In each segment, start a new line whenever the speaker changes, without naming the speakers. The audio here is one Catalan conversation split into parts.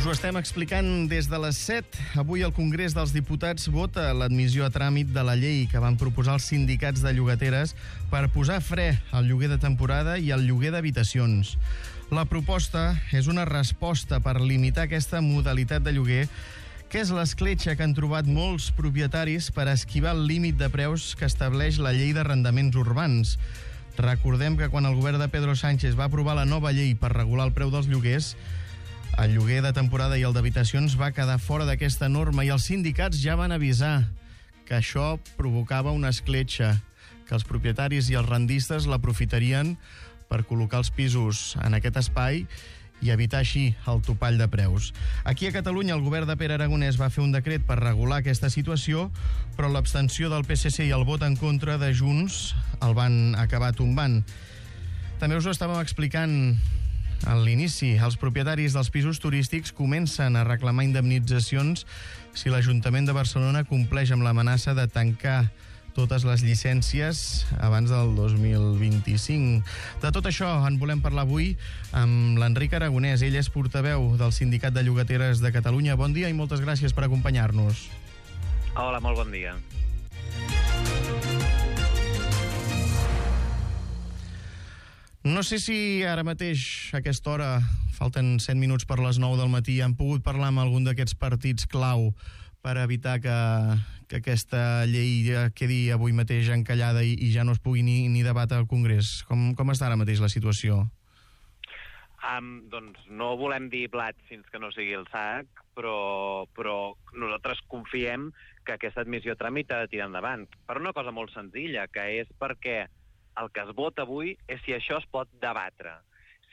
Us ho estem explicant des de les 7. Avui el Congrés dels Diputats vota l'admissió a tràmit de la llei que van proposar els sindicats de llogateres per posar fre al lloguer de temporada i al lloguer d'habitacions. La proposta és una resposta per limitar aquesta modalitat de lloguer, que és l'escletxa que han trobat molts propietaris per esquivar el límit de preus que estableix la llei d'arrendaments urbans. Recordem que quan el govern de Pedro Sánchez va aprovar la nova llei per regular el preu dels lloguers, el lloguer de temporada i el d'habitacions va quedar fora d'aquesta norma i els sindicats ja van avisar que això provocava una escletxa, que els propietaris i els rendistes l'aprofitarien per col·locar els pisos en aquest espai i evitar així el topall de preus. Aquí a Catalunya el govern de Pere Aragonès va fer un decret per regular aquesta situació, però l'abstenció del PSC i el vot en contra de Junts el van acabar tombant. També us ho estàvem explicant a l'inici. Els propietaris dels pisos turístics comencen a reclamar indemnitzacions si l'Ajuntament de Barcelona compleix amb l'amenaça de tancar totes les llicències abans del 2025. De tot això en volem parlar avui amb l'Enric Aragonès. Ell és portaveu del Sindicat de Llogateres de Catalunya. Bon dia i moltes gràcies per acompanyar-nos.
Hola, molt bon dia.
No sé si ara mateix, a aquesta hora, falten 7 minuts per les 9 del matí, han pogut parlar amb algun d'aquests partits clau per evitar que aquesta llei quedi avui mateix encallada i ja no es pugui ni debatre al Congrés. Com està ara mateix la situació?
Doncs no volem dir blat fins que no sigui el sac, però nosaltres confiem que aquesta admissió a tràmit ha de tirar endavant. Per una cosa molt senzilla, que és perquè el que es vota avui és si això es pot debatre.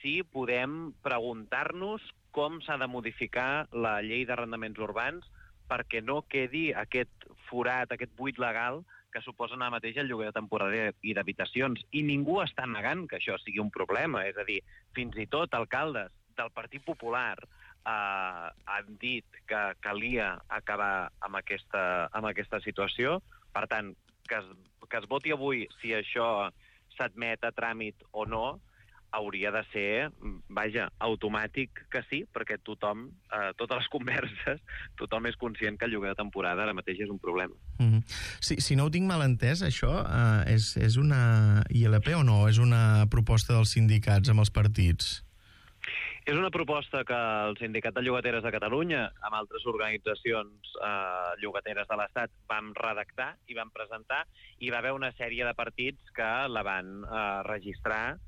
Si podem preguntar-nos com s'ha de modificar la llei d'arrendaments urbans perquè no quedi aquest forat, aquest buit legal que suposa ara mateix el lloguer de temporada i d'habitacions. I ningú està negant que això sigui un problema. És a dir, fins i tot alcaldes del Partit Popular han dit que calia acabar amb aquesta situació. Per tant, que es voti avui si això s'admet a tràmit o no, hauria de ser, automàtic que sí, perquè tothom, totes les converses, tothom és conscient que el lloguer de temporada ara mateix és un problema.
Si no ho tinc mal entès, això és una ILP o no? És una proposta dels sindicats amb els partits?
És una proposta que el Sindicat de Llogateres de Catalunya, amb altres organitzacions llogateres de l'Estat, vam redactar i vam presentar, i va haver una sèrie de partits que la van registrar,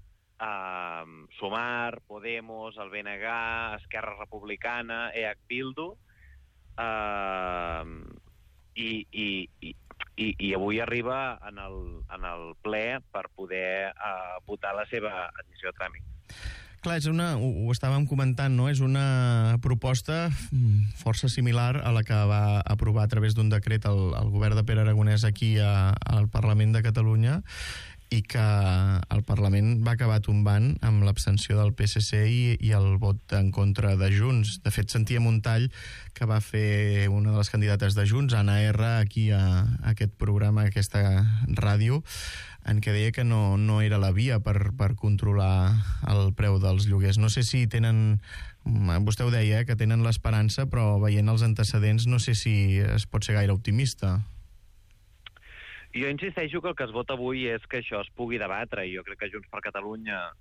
Sumar, Podemos, el BNG, Esquerra Republicana, EH Bildu, i avui arriba en el ple per poder votar la seva admissió a tràmit.
Clar, ho estàvem comentant, no? És una proposta força similar a la que va aprovar a través d'un decret el govern de Pere Aragonès aquí al Parlament de Catalunya i que el Parlament va acabar tombant amb l'abstenció del PSC i el vot en contra de Junts. De fet, sentíem un tall que va fer una de les candidates de Junts, Anna R, aquí a aquest programa, a aquesta ràdio, en què deia que no era la via per controlar el preu dels lloguers. No sé si tenen, vostè ho deia, que tenen l'esperança, però veient els antecedents no sé si es pot ser gaire optimista.
Jo insisteixo que el que es vota avui és que això es pugui debatre, i jo crec que Junts per Catalunya,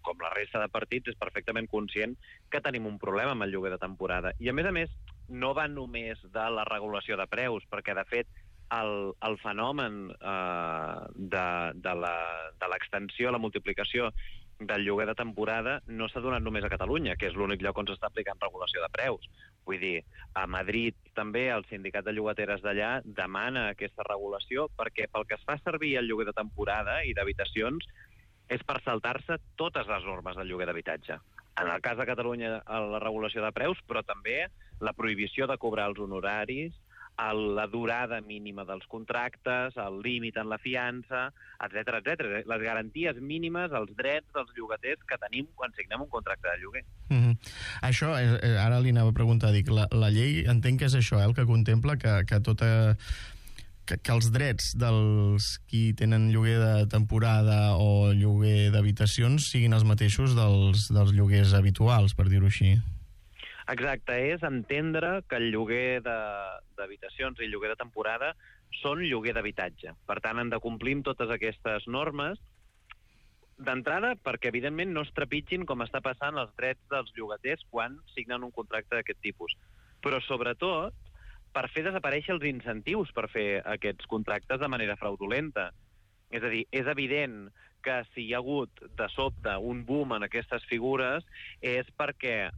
com la resta de partits, és perfectament conscient que tenim un problema amb el lloguer de temporada. I a més, no va només de la regulació de preus, perquè de fet el fenomen de l'extensió, la multiplicació del lloguer de temporada no s'ha donat només a Catalunya, que és l'únic lloc on s'està aplicant regulació de preus. Vull dir, a Madrid també el sindicat de llogateres d'allà demana aquesta regulació perquè pel que es fa servir el lloguer de temporada i d'habitacions és per saltar-se totes les normes del lloguer d'habitatge. En el cas de Catalunya, la regulació de preus, però també la prohibició de cobrar els honoraris, la durada mínima dels contractes, el límit en la fiança, etc. Les garanties mínimes, els drets dels llogaters que tenim quan signem un contracte de lloguer.
Això, ara li anava a preguntar, la llei entenc que és això, el que contempla que els drets dels qui tenen lloguer de temporada o lloguer d'habitacions siguin els mateixos dels lloguers habituals, per dir-ho així.
Exacte, és entendre que el lloguer d'habitacions i el lloguer de temporada són lloguer d'habitatge. Per tant, han de complir amb totes aquestes normes d'entrada perquè, evidentment, no es trepitgin com està passant els drets dels llogaters quan signen un contracte d'aquest tipus. Però, sobretot, per fer desaparèixer els incentius per fer aquests contractes de manera fraudulenta. És a dir, és evident que si hi ha hagut de sobte un boom en aquestes figures és perquè,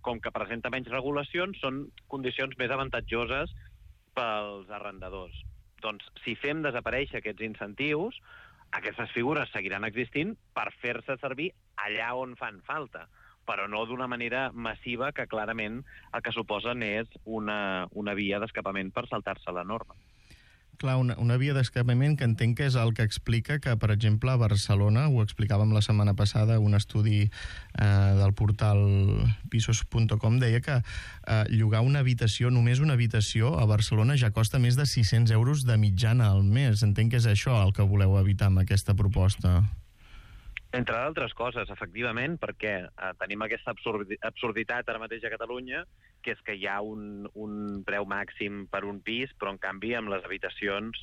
com que presenta menys regulacions, són condicions més avantatjoses pels arrendadors. Doncs, si fem desaparèixer aquests incentius, aquestes figures seguiran existint per fer-se servir allà on fan falta, però no d'una manera massiva que clarament el que suposen és una via d'escapament per saltar-se la norma.
Clar, una via d'escapament que entenc que és el que explica que, per exemple, a Barcelona, ho explicàvem la setmana passada, un estudi del portal pisos.com deia que llogar una habitació, només una habitació, a Barcelona ja costa més de 600 euros de mitjana al mes. Entenc que és això el que voleu evitar amb aquesta proposta.
Entre d'altres coses, efectivament, perquè tenim aquesta absurditat ara mateix a Catalunya, que és que hi ha un preu màxim per un pis, però en canvi amb les habitacions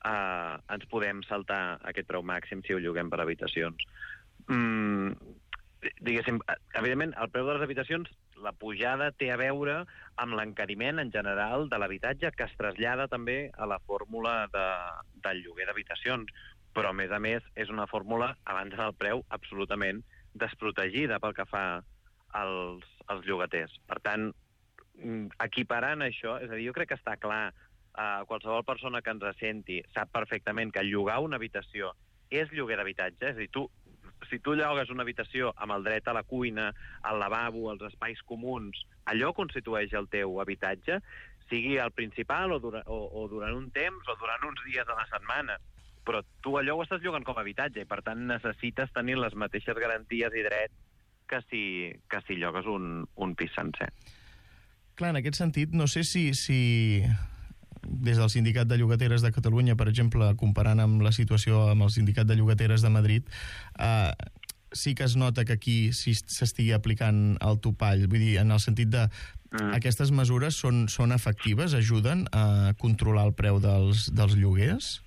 ens podem saltar aquest preu màxim si ho lloguem per habitacions. Diguéssim, evidentment, el preu de les habitacions, la pujada té a veure amb l'encariment en general de l'habitatge que es trasllada també a la fórmula del lloguer d'habitacions. Però, a més, és una fórmula, abans del preu, absolutament desprotegida pel que fa als llogaters. Per tant, equiparant això, és a dir, jo crec que està clar, qualsevol persona que ens senti sap perfectament que llogar una habitació és lloguer d'habitatge, és a dir, si tu llogues una habitació amb el dret a la cuina, al lavabo, als espais comuns, allò constitueix el teu habitatge, sigui el principal o durant un temps o durant uns dies a la setmana. Però tu allò ho estàs llogant com a habitatge i, per tant, necessites tenir les mateixes garanties i drets que si llogues un pis sencer.
Clar, en aquest sentit, no sé si des del Sindicat de Llogateres de Catalunya, per exemple, comparant amb la situació amb el Sindicat de Llogateres de Madrid, sí que es nota que aquí s'estigui aplicant el topall. Vull dir, en el sentit de aquestes mesures són efectives, ajuden a controlar el preu dels lloguers?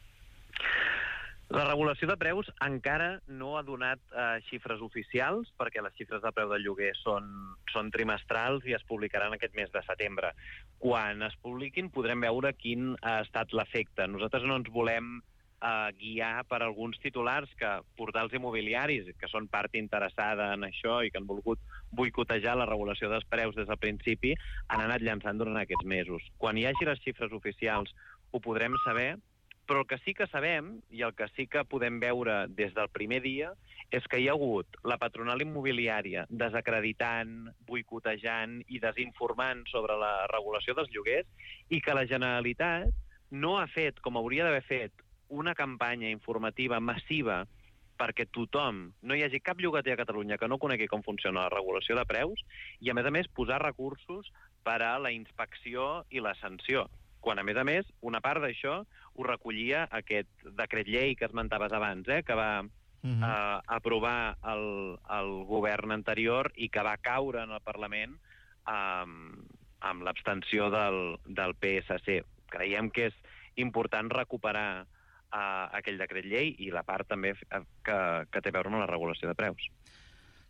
La regulació de preus encara no ha donat xifres oficials, perquè les xifres de preu del lloguer són trimestrals i es publicaran aquest mes de setembre. Quan es publiquin podrem veure quin ha estat l'efecte. Nosaltres no ens volem guiar per alguns titulars que portals immobiliaris, que són part interessada en això i que han volgut boicotejar la regulació dels preus des del principi, han anat llançant durant aquests mesos. Quan hi hagi les xifres oficials ho podrem saber, però el que sí que sabem, i el que sí que podem veure des del primer dia, és que hi ha hagut la patronal immobiliària desacreditant, boicotejant i desinformant sobre la regulació dels lloguers i que la Generalitat no ha fet, com hauria d'haver fet, una campanya informativa massiva perquè tothom, no hi hagi cap llogater a Catalunya que no conegui com funciona la regulació de preus i, a més, posar recursos per a la inspecció i la sanció. Quan, a més, una part d'això ho recollia aquest decret llei que esmentaves abans, que va aprovar el govern anterior i que va caure en el Parlament amb l'abstenció del PSC. Creiem que és important recuperar aquell decret llei i la part també que té a veure amb la regulació de preus.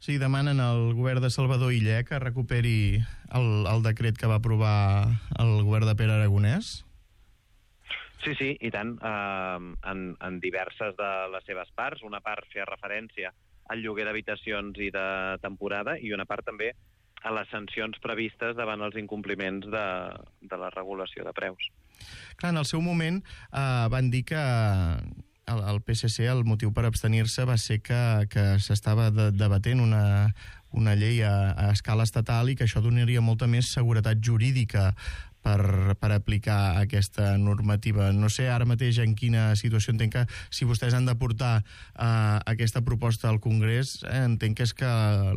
Sí, demanen al govern de Salvador Illa que recuperi el decret que va aprovar el govern de Pere Aragonès?
Sí, i tant. En diverses de les seves parts. Una part feia referència al lloguer d'habitacions i de temporada i una part també a les sancions previstes davant els incompliments de la regulació de preus.
Clar, en el seu moment van dir que el PSC, el motiu per abstenir-se va ser que s'estava debatent una llei a escala estatal i que això donaria molta més seguretat jurídica per aplicar aquesta normativa. No sé ara mateix en quina situació. Entenc que si vostès han de portar aquesta proposta al Congrés, entenc que és que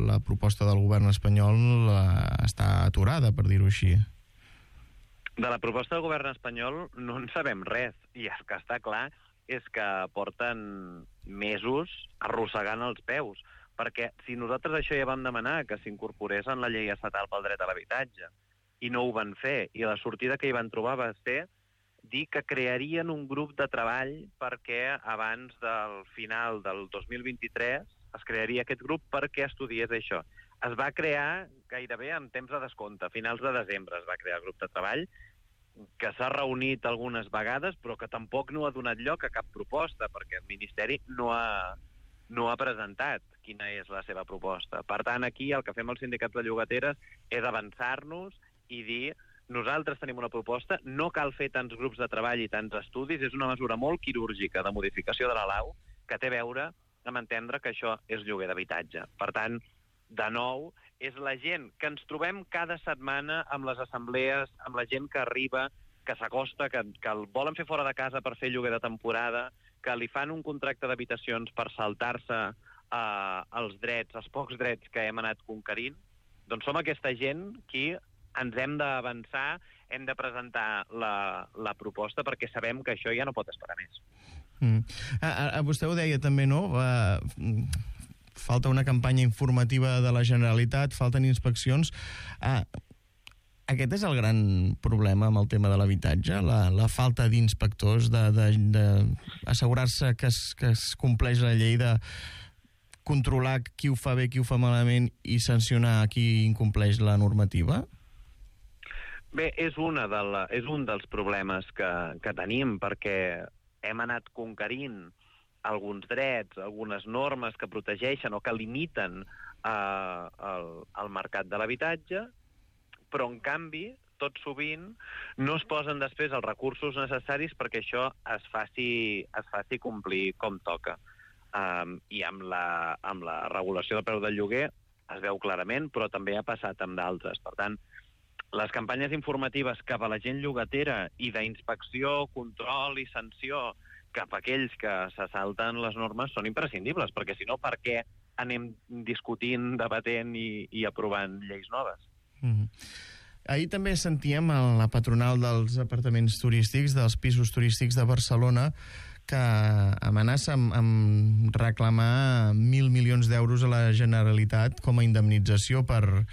la proposta del govern espanyol està aturada, per dir-ho així.
De la proposta del govern espanyol no en sabem res, i el que està clar és que porten mesos arrossegant els peus, perquè si nosaltres això ja vam demanar que s'incorporés en la llei estatal pel dret a l'habitatge i no ho van fer, i la sortida que hi van trobar va ser dir que crearien un grup de treball perquè abans del final del 2023 es crearia aquest grup perquè estudiés això. Es va crear gairebé en temps de descompte. A finals de desembre es va crear el grup de treball, que s'ha reunit algunes vegades, però que tampoc no ha donat lloc a cap proposta, perquè el Ministeri no ha presentat quina és la seva proposta. Per tant, aquí el que fem els sindicats de llogateres és avançar-nos i dir: nosaltres tenim una proposta, no cal fer tants grups de treball i tants estudis, és una mesura molt quirúrgica de modificació de la lau que té a veure amb entendre que això és lloguer d'habitatge. Per tant, de nou, és la gent que ens trobem cada setmana amb les assemblees, amb la gent que arriba, que s'acosta, que el volen fer fora de casa per fer lloguer de temporada, que li fan un contracte d'habitacions per saltar-se els drets, els pocs drets que hem anat conquerint. Doncs som aquesta gent qui ens hem d'avançar, hem de presentar la proposta perquè sabem que això ja no pot esperar més.
Vostè ho deia també, no? Falta una campanya informativa de la Generalitat, falten inspeccions. Aquest és el gran problema amb el tema de l'habitatge, la falta d'inspectors, d'assegurar-se que es compleix la llei, de controlar qui ho fa bé, qui ho fa malament i sancionar qui incompleix la normativa?
Bé, és un dels problemes que tenim, perquè hem anat conquerint alguns drets, algunes normes que protegeixen o que limiten el mercat de l'habitatge, però, en canvi, tot sovint no es posen després els recursos necessaris perquè això es faci complir com toca. I amb la regulació del preu del lloguer es veu clarament, però també ha passat amb d'altres. Per tant, les campanyes informatives cap a la gent llogatera i d'inspecció, control i sanció cap a aquells que se salten les normes són imprescindibles, perquè si no, per què anem discutint, debatent i aprovant lleis noves?
Ahir també sentíem a la patronal dels apartaments turístics, dels pisos turístics de Barcelona, que amenaça amb reclamar 1.000 milions d'euros a la Generalitat com a indemnització per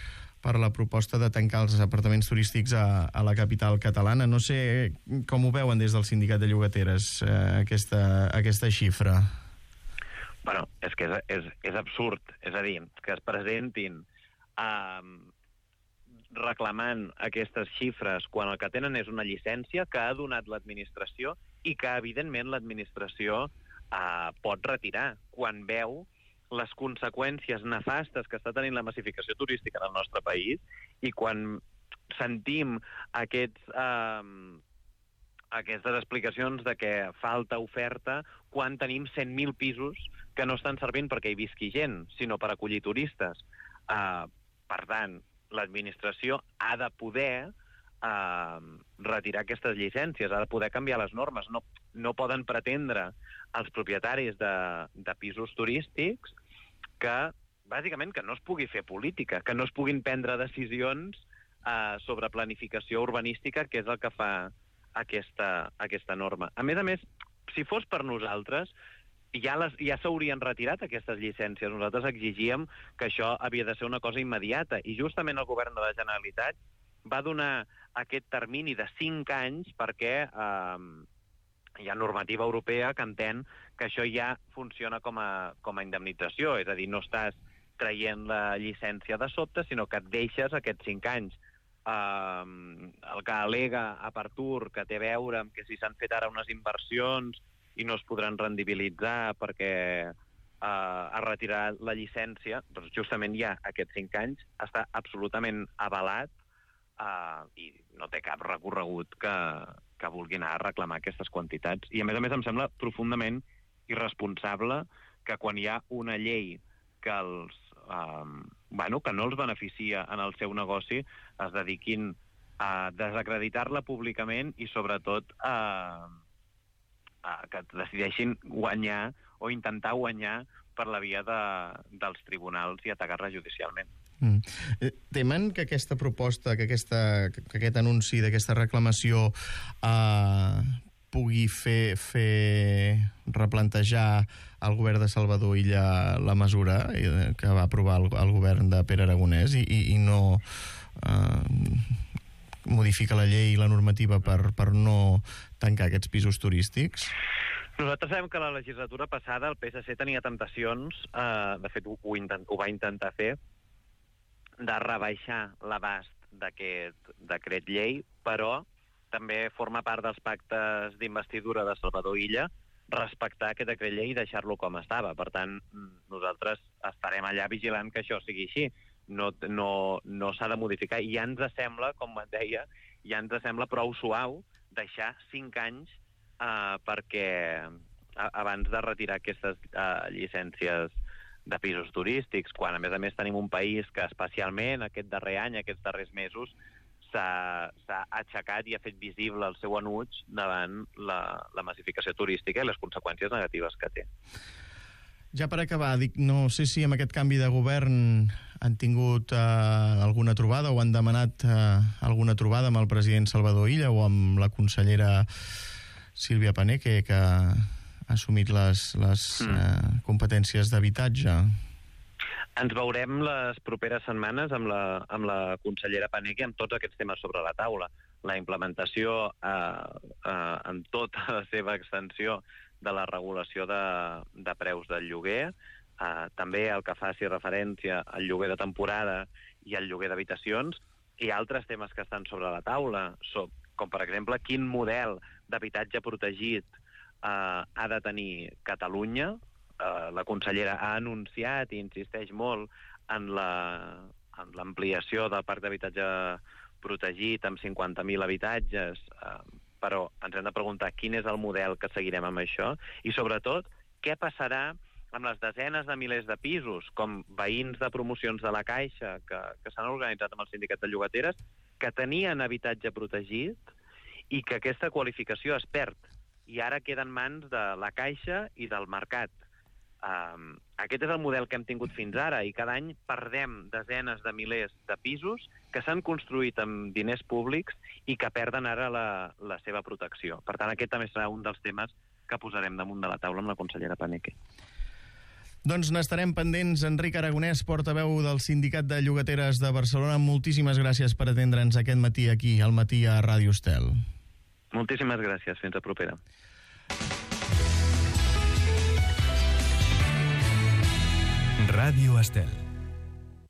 la proposta de tancar els apartaments turístics a la capital catalana. No sé com ho veuen des del sindicat de llogateres, aquesta xifra.
Bueno, és que és absurd. És a dir, que es presentin reclamant aquestes xifres quan el que tenen és una llicència que ha donat l'administració i que, evidentment, l'administració pot retirar quan veu les conseqüències nefastes que està tenint la massificació turística en el nostre país, i quan sentim aquestes explicacions de que falta oferta quan tenim 100.000 pisos que no estan servint perquè hi visqui gent, sinó per acollir turistes. Per tant, l'administració ha de poder retirar aquestes llicències, ha de poder canviar les normes. No poden pretendre els propietaris de pisos turístics que, bàsicament, que no es pugui fer política, que no es puguin prendre decisions sobre planificació urbanística, que és el que fa aquesta norma. A més, si fos per nosaltres, ja s'haurien retirat aquestes llicències. Nosaltres exigíem que això havia de ser una cosa immediata, i justament el govern de la Generalitat va donar aquest termini de 5 anys perquè hi ha normativa europea que entén que això ja funciona com a indemnització, és a dir, no estàs traient la llicència de sobte, sinó que et deixes aquests 5 anys. El que al·lega Apartur, que té a veure amb que si s'han fet ara unes inversions i no es podran rendibilitzar perquè ha retirat la llicència, doncs justament ja aquests 5 anys està absolutament avalat i no té cap recorregut que vulguin anar a reclamar aquestes quantitats. I a més em sembla profundament irresponsable que quan hi ha una llei que que no els beneficia en el seu negoci es dediquin a desacreditar-la públicament i sobretot que decideixin guanyar o intentar guanyar per la via dels tribunals i atacar-la judicialment.
Temen que aquesta proposta, que aquest anunci d'aquesta reclamació pugui fer replantejar al govern de Salvador Illa la mesura que va aprovar el govern de Pere Aragonès i no modifica la llei i la normativa per no tancar aquests pisos turístics?
Nosaltres sabem que la legislatura passada el PSC tenia temptacions, de fet ho va intentar fer, de rebaixar l'abast d'aquest decret llei, però també forma part dels pactes d'investidura de Salvador Illa respectar aquest decret llei i deixar-lo com estava. Per tant, nosaltres estarem allà vigilant que això sigui així. No s'ha de modificar. I ja ens sembla, com et deia, ja ens sembla prou suau deixar 5 anys perquè abans de retirar aquestes llicències de pisos turístics, quan a més tenim un país que especialment aquest darrer any, aquests darrers mesos, s'ha aixecat i ha fet visible el seu enuig davant la massificació turística i les conseqüències negatives que té.
Ja per acabar, no sé si amb aquest canvi de govern han tingut alguna trobada o han demanat alguna trobada amb el president Salvador Illa o amb la consellera Sílvia Paneque, que ha assumit les competències d'habitatge.
Ens veurem les properes setmanes amb la consellera Paneque amb tots aquests temes sobre la taula. La implementació en tota la seva extensió de la regulació de preus del lloguer, també el que faci referència al lloguer de temporada i al lloguer d'habitacions, i altres temes que estan sobre la taula, com per exemple quin model d'habitatge protegit ha de tenir Catalunya. La consellera ha anunciat i insisteix molt en l'ampliació del parc d'habitatge protegit amb 50.000 habitatges, però ens hem de preguntar quin és el model que seguirem amb això i, sobretot, què passarà amb les desenes de milers de pisos, com veïns de promocions de la Caixa que s'han organitzat amb el sindicat de llogateres, que tenien habitatge protegit i que aquesta qualificació es perd i ara queda en mans de la Caixa i del mercat. Aquest és el model que hem tingut fins ara i cada any perdem desenes de milers de pisos que s'han construït amb diners públics i que perden ara la seva protecció. Per tant, aquest també serà un dels temes que posarem damunt de la taula amb la consellera Paneque.
Doncs n'estarem pendents. Enric Aragonès, portaveu del Sindicat de Llogateres de Barcelona, moltíssimes gràcies per atendre'ns aquest matí aquí, al matí a Ràdio Estel.
Moltíssimes gràcies. Fins a propera.
Ràdio Estel.